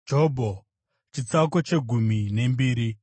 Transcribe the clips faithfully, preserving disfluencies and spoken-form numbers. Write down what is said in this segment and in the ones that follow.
Jobho chitsauko chegumi nembiri.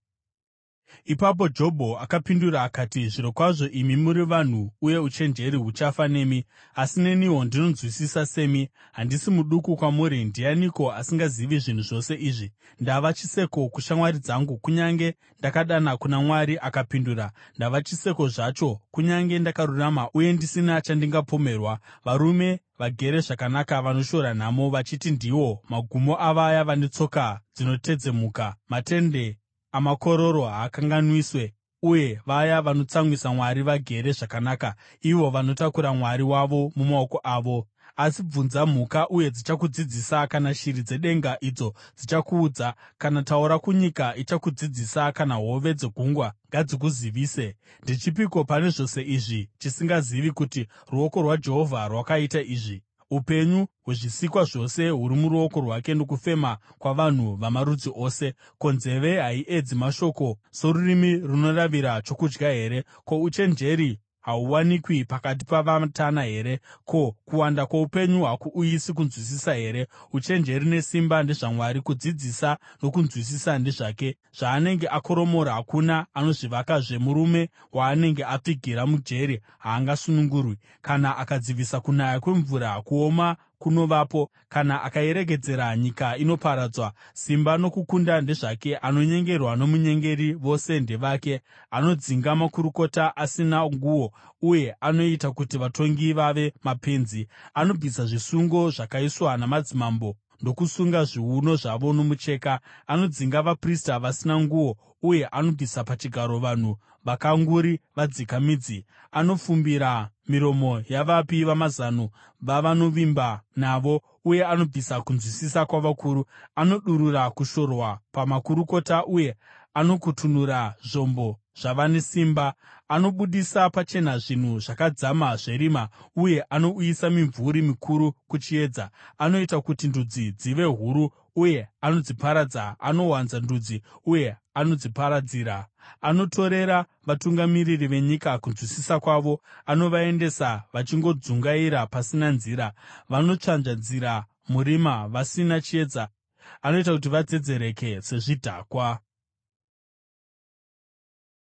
Ipapo Jobho akapindura akati: “Zvirokwazvo imi muri vanhu, uye uchenjeri huchafa nemi! Asi neniwo ndinonzwisisa semi; handisi muduku kwamuri. Ndianiko asingazivi zvinhu zvose izvi? Ndava chiseko kushamwari dzangu, kunyange ndakadana kuna Mwari akapindura. Ndava chiseko zvacho, kunyange ndakarurama uye ndisina chandingapomerwa! Varume vagere zvakanaka vanoshora nhamo, vachiti ndiwo magumo avaya vane tsoka dzinotedzemuka. Matende amakororo haakanganiswe, uye vaya vanotsamwisa Mwari vagere zvakanaka, ivo vanotakura mwari wavo mumaoko avo. Asi bvunza mhuka, uye dzichakudzidzisa, kana shiri dzedenga, idzo dzichakuudza. Kana taura kunyika, ichakudzidzisa, kana hove dzegungwa ngadzikuzivise. Ndechipiko pane zvose izvi chisingazivi kuti ruoko rwaJehovha rwakaita izvi? Upenyu hwezvisikwa zvose huri muruoko rwake, nokufema kwavanhu vamarudzi ose. Ko, nzeve haiedzi mashoko sorurimi runoravira chokudya here? Ko, uchenjeri hahuwanikwi pakati pavatana here? Ko, kuwanda kwoupenyu hakuuyisi kunzwisisa here? Uchenjeri nesimba ndezvaMwari; kudzidzisa nokunzwisisa ndezvake. Zvaanenge akoromora, hakuna anozvivakazve; murume waanenge apfigira mujeri haangasunungurwi. Kana akadzivisa kunaya kwemvura, kuoma kunovapo; kana akairegedzera, nyika inoparadzwa. Simba nokukunda ndezvake; anonyengerwa nomunyengeri vose ndevake. Anodzinga makurukota asina nguo, uye anoita kuti vatongi vave mapenzi. Anobvisa zvisungo zvakaiswa namadzimambo ndokusunga zviuno zvavo nomucheka. Anodzinga vaprista vasina nguo, uye anobvisa pachigaro vanhu vakanguri vadzika midzi. Anofumbira miromo yavapi vamazano vavanovimba navo, uye anobvisa kunzwisisa kwavakuru. Anodurura kushorwa pamakurukota, uye anokutunura zvombo zvavane simba. Anobudisa pachena zvinhu zvakadzama zverima, uye anouyisa mimvuri mikuru kuchiedza. Anoita kuti ndudzi dzive huru, uye anodziparadza; anowanza ndudzi, uye anodziparadzira. Anotorera vatungamiri venyika kunzwisisa kwavo; anovaendesa vachingodzungaira pasina nzira. Vanotsvanja nzira murima, vasina chiedza; anoita kuti vadzedzereke sezvidhakwa.